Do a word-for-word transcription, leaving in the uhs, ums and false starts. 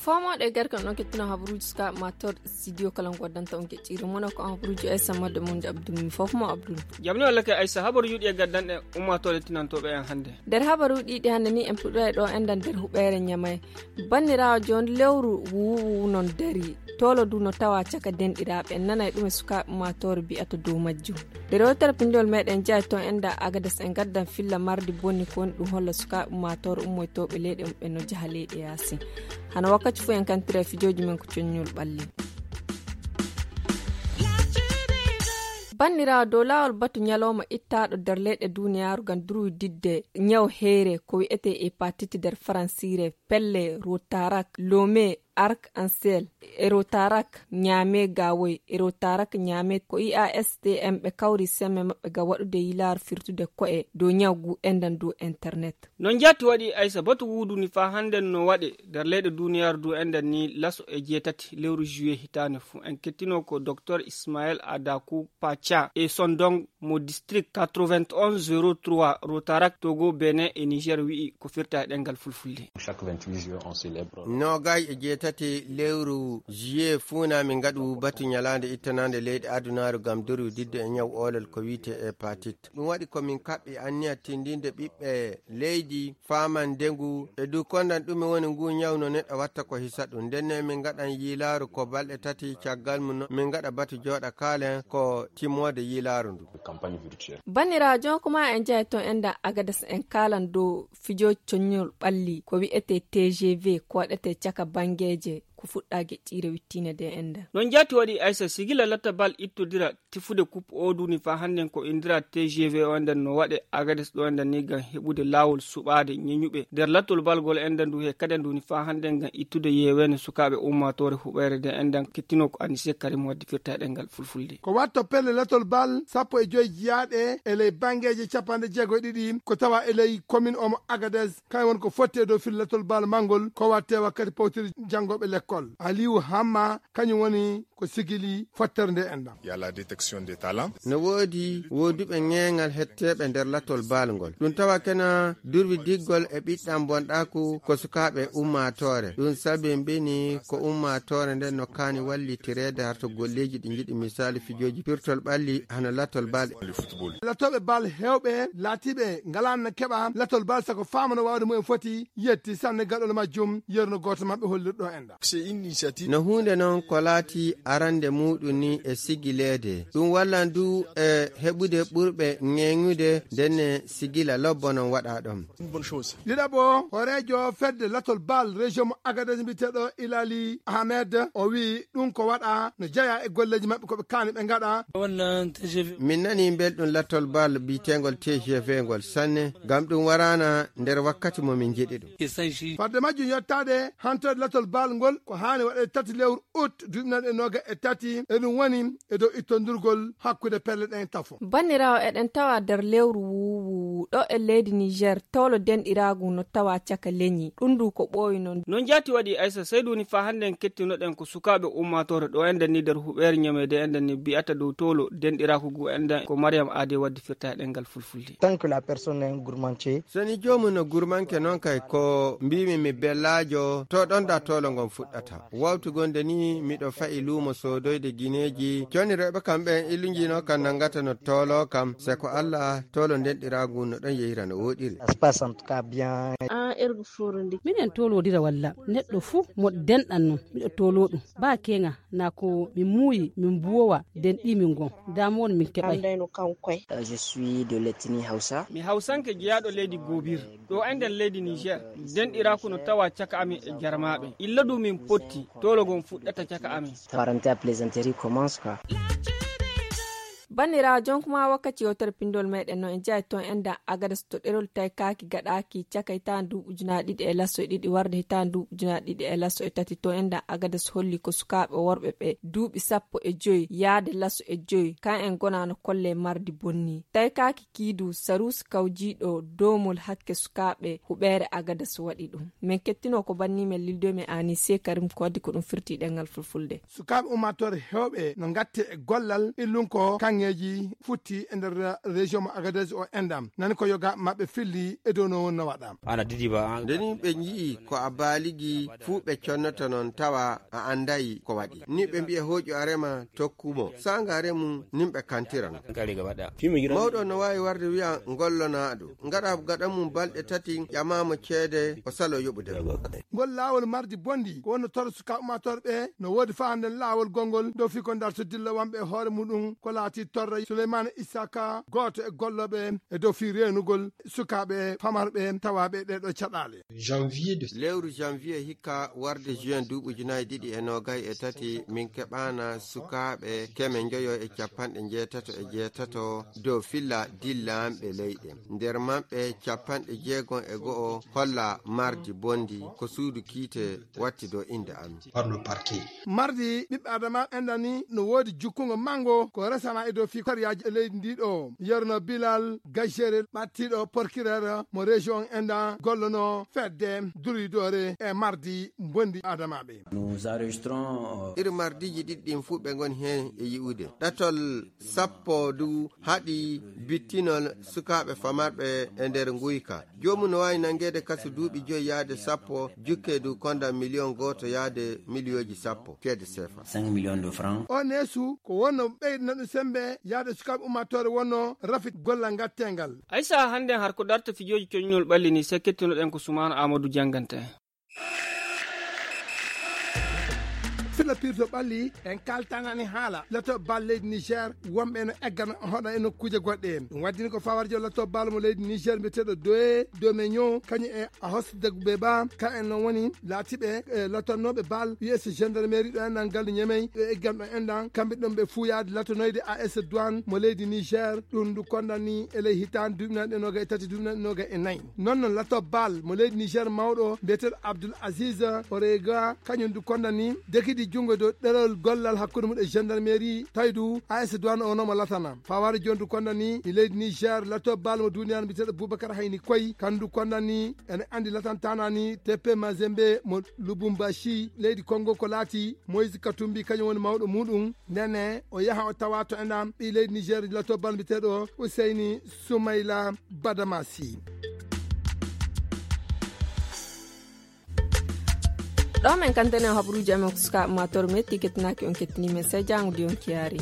Fomooɗo e garke on ɗon kettino habaruuji sukaaɓe ma toon studio kala ngo waddanta on geƴƴiire mono ko on habaruuji aysa madde mon abdul mi fof mo abdul. Jamni walla ke aysa habaru yuɗi e gaddanɗe ummaatooɗe tinantooɓe en hannde. Nder habaruuji ɗiɗi hannde ni en puɗɗoray ɗo enɗan nder huɓeere ñamay. Banniraawo jooni lewru wuuwu non dari toolo du no tawa caka denɗiraaɓe en nanay ɗum e sukaaɓe ummaatoore biyata dow majjum. Nde rewtere pinndol meɗen jaay toon enɗan agades en gaddan filla mardi bonni ko woni ɗum holla sukaaɓe ummaatoore ummoytooɓe leyɗe mum ɓe no jaha leyɗe yaasi. Hano wakkati fof en kantira e fijooji men ko coññol ɓalli. Banniraawo dow laawol batu ñalooma ittaaɗo nder leyɗe duniyaaru ngam durwididde ñaw heyre ko wi'etee hepatite nder faransiire, pelle rotarak lome arc en ciel e rotarak ñaame gawoy e rotarak ñaame ko iastm ɓe kawri semme maɓɓe ngam waɗude yilaaru firtude ko'e dow ñaw ngu enɗan dow internet. No njaati waɗi aysa batu wuuduni faa hannden no waɗe nder leyɗe duniyaaru du enɗan ni laso e jeetati lewru juillet hitaande fuu en kettino ko docteur ismael adaku pacha e sondong mo district quatre-vingt-onze zéro trois rotarak togo benin e niger wi'i ko firta e ɗengal fulfulde. Noogay e jeetati lewru juillet fuuna min ngaɗu batu ñalaande ittanaande leyɗe adunaaru ngam durwididde e ñaw oolol ko wiyte hepatite. Ɗum waɗi ko min kaɓɓi anniya tindinde ɓiɓɓe leydi faaman ndengu e du kondan ɗume woni ngu ñaw no neɗɗo watta ko hisa ɗum ndenne min ngaɗan yiilaaru ko balɗe tati caggal mum min ngaɗa batu jooɗa kaalen ko timmoode yiilaaru ndu. Banniraajo kuma en jahay toon enɗan agades en kaalan dow fijo coññol ɓalli ko wi'etee tgv ko waɗetee caka banngeeje ko fuɗɗa geƴƴiire wittiine de enɗan. No njaati waɗi aysa sigila latta bal ittodira tifude kup o duni faa hannden ko indira tgv o enɗan no waɗe agades ɗo enɗan ni ngam heɓude laawol suɓaade ñeñuɓe nder lattol balgol enɗan ndu he kaden duni faa hannden ngam ittude yeeweende sukaaɓe ummaatoore huɓeere de enɗan kettino ko anise karim waddi firta e ɗengal fulfulde. Ko watto pelle lattol bal sappo e joy jiyaaɗe e ley banngeeje capanɗe jeego e ɗiɗi ko tawa e ley komin omo agades kañum woni ko fotti e dow fil lattol bal manngol ko watte wakkati pawtiri janngooɓe lekkol aliyu hamma kañum woni ko sigili fottere nde enɗan. Il y a la détection des talents. No woodi wooduɓe ŋeeŋal hetteeɓe nder latol baal ngol ɗum tawa kena durwi diggol e ɓiɗɗam bonɗaaku ko sukaaɓe ummaatoore ɗum sabi mbini ko ummaatoore nden no kaani wallitireede harto golleeji ɗi njiɗi misaali fijooji pirtol ɓalli hano latol baal. Latooɓe baal heewɓe laatiiɓe ngalaanna keɓa latol baal sago faamano waawde mumen foti yetti sanne gaɗol majjum yerno gooto maɓɓe hollirɗo enɗan. No huunde noon ko laati arande muuɗum ni e sigileede ɗum wallan du e heɓude ɓurɓe ŋeeŋude ndenne sigila lobbo noon waɗa ɗon. Ɗiɗaɓo hooreejo fedde latol baal région mo agadez mbiyeteeɗo ilali ahmed o wii ɗum ko waɗa no jeyaa e golleeji maɓɓe ko ɓe kaani ɓe ngaɗa. Min nanii mbelɗum latol baal biyeteengol tgv ngol sanne ngam ɗum waraana nder wakkati mo min njiɗi ɗum. Fadde majjum yottaade hantoyde latol baal ngol ko haani waɗeede tati lewru ut duuɓi nayi e noogaas e tati eɗum woni e dow ittondirgol hakkunde pelle ɗen tafo. Banniraawo eɗen tawa nder lewru wuuwuwu ɗo e leydi niger towlo denɗiraagu no tawa caka leñi ɗum ndu ko ɓooyi noon. No njaati waɗi aysa seydu woni faa hannde en kettinoɗen ko sukaaɓe ummaatoore ɗo enɗen ni nder huɓeere ñameede enɗen ni mbiyata dow towlo denɗiraaku ngu enɗen ko mariam aade waddi firta e ɗemngal fulfulde. Tant que la personne est un gourmandier. So ni joomum no gurmanke noon kay ko mbiimi mi bellaajo to ɗon da towlo ngon fuɗɗata wawtu gonde ni miɗo fa'i luumo soodoyde gineeji conirooɓe kam ɓen illunjino kam nanngata no towlo kam se ko allah towlo ndenɗiraagu no ɗon yehira no woɗiri. Minen towlodira walla neɗɗo fuu mo denɗan non miɗo towlo ɗum ba keŋa na ko min muuyi min mbuwowa denɗi min ngon damuwol min keɓay. Mi hawsanke jeyaaɗo leydi gobir ɗo enɗen leydi niger denɗiraaku no tawa caka amin e jarmaaɓe illa du min potti towlo ngon fuɗɗata caka amin. Banniraawo, jonkuma wakkati yewtere pinndol meɗen no en jeyaa e toon enɗan Agadas to ɗerol taykaaki gaɗaaki caka hitaande duuɓi ujunaaji ɗiɗi e laso e ɗiɗi warde hitaande duuɓi ujunaaji ɗiɗi e laso e tati. Toon enɗan Agadas holli ko sukaaɓe worɓe ɓe duuɓi sappo e joy yaade laso e joy, kan en gonaano kolle mardi bonni. Taykaaki kiidu Saruusi kawjiiɗo doomol hakke sukaaɓe huɓeere Agadas waɗi ɗum. Men kettinoo ko banni men Lildo men Anise Karim ko waddi ko ɗum firti ɗengal fulfulde. Sukaaɓe ummaatoore heewɓe no ngatte e gollal illunko kaŋŋeeji futti e nder région mo Agadez o enɗam. Nani ko yoga maɓɓe filli e dow no wonno waɗa. Ana didi ba. Nde ni ɓe nji'i ko a baaligi fuu ɓe connoto non tawa a anday ko waɗi. Ni ɓe mbi'a hooƴu a rema tokku mo. Saanga remu nin ɓe kantirano. Mawɗo no waawi warde wi'a ngollonaaɗo. Ngaɗa gaɗa mum balɗe tati ƴamaamo ceede o salo yoɓude. Ngol laawol mardi bondi ko wonno torra sukaaɓe ummaatoore ɓe no woodi faa hannde laawol gonngol dow fii ko ndarto dilla wamɓe e hoore muɗum ko laati torra Suleymaana Isaka gooto e gollooɓe e dow fii reenugol sukaaɓe famarɓe tawaaɓe ɗee ɗoo caɗaale. Lewru janvier hikka warde juin duuɓi ujunaaji ɗiɗi e noogay e tati min keɓaana sukaaɓe keme njoyo e capanɗe njeetato e jeetato dow filla dillanɓe leyɗe. Nder maɓɓe capanɗe jeegom e go'o holla mardi bondi ko suudu kiite watti dow innde am. Mardi ɓiɓɓe adama enɗan ni no woodi jukkungo manngo ko resana e dow fii sariyaaji e leydi ndi ɗo. Yerno Bilal Gajere ɓattiiɗo porkirere mo région enɗan gollono fedde duridoore e mardi bondi adamaaɓe. Iri mardiiji ɗiɗi ɗin fuu ɓe ngoni heen e yi'ude. Ɗatol sappo du haɗi bittinol sukaaɓe famarɓe e nder nguyka. Joomum no waawi nanngeede kasu duuɓi joy yaade sappo, jukke du konda miliyon gooto yaade miliyooji sappo ceede seefa. On neesu ko wonno ɓeyda ɗum semmbe yaade sukaaɓe ummaatoore wonno rafit gollal ngatteengal. Aysa, hannden har ko darta fijooji coññol ɓalli ni, sekkettinoɗen ko Sumaana Aamadu jannganta en. Filla pirto ɓalli en kaltanani haala lato bal leydi Niger, wonɓe no eggana hoɗa e nokkuuje goɗɗe. Ɗum waddini ko fawarjo lato bal mo leydi Niger mbiyeteeɗo Doye Domenyo, kañum e a hosde be ba ka en non woni laatiɓe e latannooɓe bal U S gendarmerie ɗo enɗan galde Ñemey ɗo eggan ɗo enɗan kamɓe ɗon ɓe fuu yaade latanoyde A S Douane mo leydi Niger. Ɗum ndu kondani e ley hitaande duuɓi nanɗe noga e tati duuɓi nanɗe noga e nayi. Non non lato bal mo leydi Niger mawɗo mbiyeteeɗo Abdoul Aziz Orega, kañum du kondani dekidi junngo dow ɗerol gollal hakkunde mum e gendarmerie tawi du A S Douane o nomo latana. Fawaade jooni du kondani e leydi Niger lato bal mo duniyaaru mbiyeteeɗo Boubacar Hayni Koy, kandu kondani ene anndi latantanani T P Mazembe mo Lubumbashi leydi Congo ko laati Moïse Katumbi kañum woni mawɗo muɗum. Ndene o yaha o tawa to enɗan ɓii leydi Niger lato bal mbiyeteeɗo Useyni Sumayla Badamasi. Ɗo men kantene habruuji amen ko sukaaɓe ma toro metti kettinaaki on kettini men sey jaango di on kiyaari.